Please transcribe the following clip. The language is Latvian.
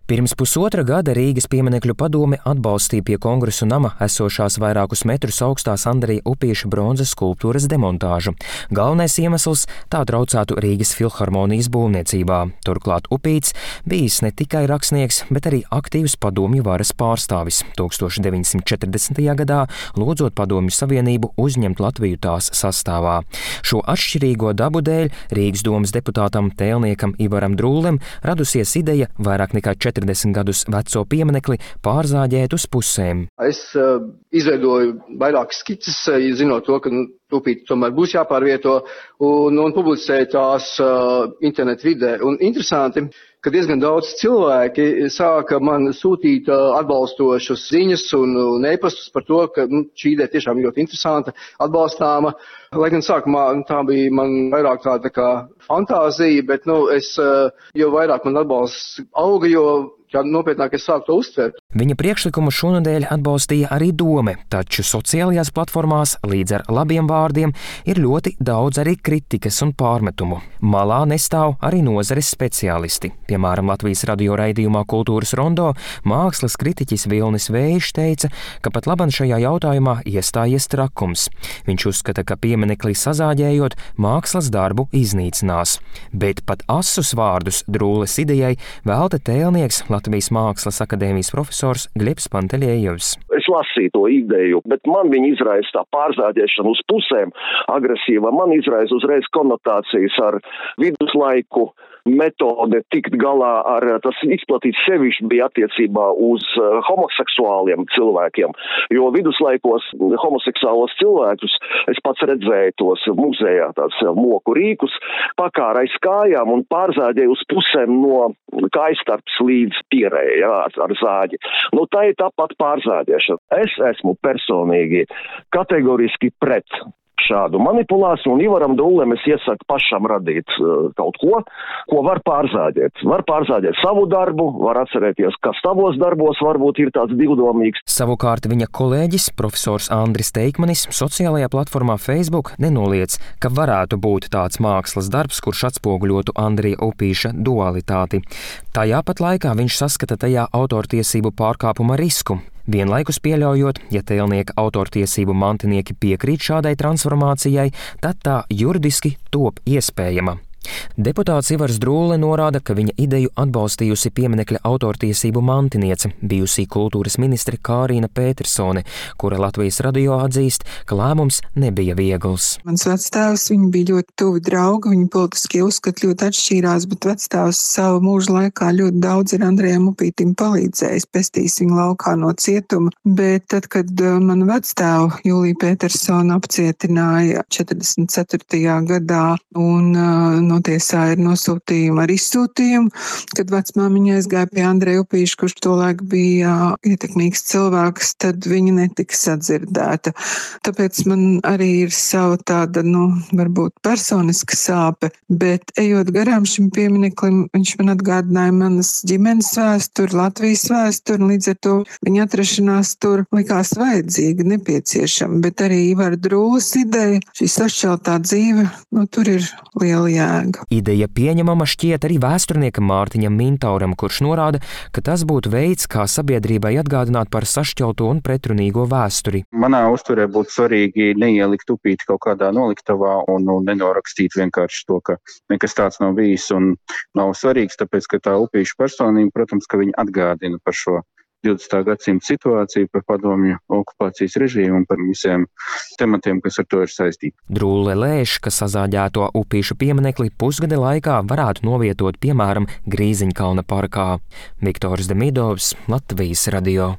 Pirms pusotra gada Rīgas pieminekļu padome atbalstīja pie Kongresu nama esošās vairākus metrus augstās Andreja Upīša bronzas skulptūras demontāžu. Galvenais iemesls - tā traucētu Rīgas filharmonijas būvniecībā. Turklāt Upīts bijis ne tikai rakstnieks, bet arī aktīvs padomju varas pārstāvis. 1940. gadā lūdzot Padomju Savienību uzņemt Latviju tās sastāvā. Šo atšķirīgo dabu dēļ Rīgas domas deputātam tēlniekam Ivaram Drūlem radusies ideja vairāk nekā 40 gadus veco pieminekli pārzāģēt uz pusēm. Es izveidoju vairākas skices, zinot to, ka Upīti tomēr būs jāpārvieto, un publicēju tās internetu vidē. Un interesanti, ka diezgan daudz cilvēki sāka man sūtīt atbalstošas ziņas un e-pastus par to, ka šī ideja tiešām ļoti interesanta, atbalstāma. Lai gan sākumā tā bija man vairāk tā kā fantāzija, bet jo vairāk man atbalsts auga, jo nopietnāk es sāku to uztvert. Viņa priekšlikumu šonadēļ atbalstīja arī dome, taču sociālajās platformās līdz ar labiem vārdiem ir ļoti daudz arī kritikas un pārmetumu. Malā nestāv arī nozares speciālisti. Piemēram, Latvijas radio raidījumā Kultūras rondo mākslas kritiķis Vilnis Vējš teica, ka pat laban šajā jautājumā iestājies trakums. Viņš uzskata, ka pieminekli sazāģējot mākslas darbu iznīcinās. Bet pat asus vārdus Drūles idejai velta tēlnieks Latvijas Mākslas akadēmijas profesors Glebs Panteļejevs. Es lasīju to ideju, bet man viņa izraisa tā pārzāģēšana uz pusēm agresīva. Man izraisa uzreiz konotācijas ar viduslaiku metode tikt galā ar tas izplatīts sevišķi bija attiecībā uz homoseksuāliem cilvēkiem, jo viduslaikos homoseksuālos cilvēkus es pats redzēju tos muzejā, tāds moku rīkus, pakāra aiz kājām un pārzāģēju uz pusēm no kājstarps līdz pierēji, ar zāģi. Tā ir tāpat pārzāģēšana. Es esmu personīgi kategoriski pret šādu manipulāciju, un Ivaram Drūlem es iesaku pašam radīt kaut ko var pārzāģēt. Var pārzāģēt savu darbu, var atcerēties, kas tavos darbos varbūt ir tāds divdomīgs. Savukārt viņa kolēģis, profesors Andris Teikmanis, sociālajā platformā Facebook nenoliedz, ka varētu būt tāds mākslas darbs, kurš atspoguļotu Andreja Upīša dualitāti. Tajā pat laikā viņš saskata tajā autortiesību pārkāpuma risku. Vienlaikus pieļaujot, ja tēlnieka autortiesību mantinieki piekrīt šādai transformācijai, tad tā juridiski top iespējama. Deputāts Ivars Drūle norāda, ka viņa ideju atbalstījusi pieminekļa autortiesību mantiniece, bijusī kultūras ministre Kārīna Pētersone, kura Latvijas radio atzīst, ka lēmums nebija viegls. Mans vectēvs, viņi bija ļoti tuvi draugi, viņi politiskie uzskati ļoti atšķīrās, bet vectēvs savu mūžu laikā ļoti daudz ir Andrejam Upītim palīdzējis, pestījis viņu laukā no cietuma, bet tad, kad man vectēvu Jūlija Pētersona apcietināja 44. gadā un notiesā ir nosūtījuma ar izsūtījumu, kad vecmāmiņa aizgāja pie Andreja Upīša, kurš tolaik bija ietekmīgs cilvēks, tad viņa netika sadzirdēta. Tāpēc man arī ir sava tāda, varbūt personiska sāpe, bet ejot garām šim piemineklim, viņš man atgādināja manas ģimenes vēsturi, Latvijas vēsturi, un līdz ar to viņa atrašanās tur likās vajadzīga, nepieciešama, bet arī Ivara Drūles ideja, šī sašķeltā dzīve, tur ir liela jēga. Ideja pieņemama šķiet arī vēsturniekam Mārtiņam Mintauram, kurš norāda, ka tas būtu veids, kā sabiedrībai atgādināt par sašķelto un pretrunīgo vēsturi. Manā uzturē būtu svarīgi neielikt Upīti kaut kādā noliktavā un nenorakstīt vienkārši to, ka nekas tāds nav bijis un nav svarīgs, tāpēc, ka tā Upīša personība, protams, ka viņa atgādina par šo 20. gadsimta situāciju, par padomju okupācijas režīmu un par visiem tematiem, kas ar to ir saistīti. Drūle lēš, ka sazāģēto Upīša pieminekli pusgada laikā varētu novietot, piemēram, Grīziņkalna parkā. Viktors Demidovs, Latvijas radio.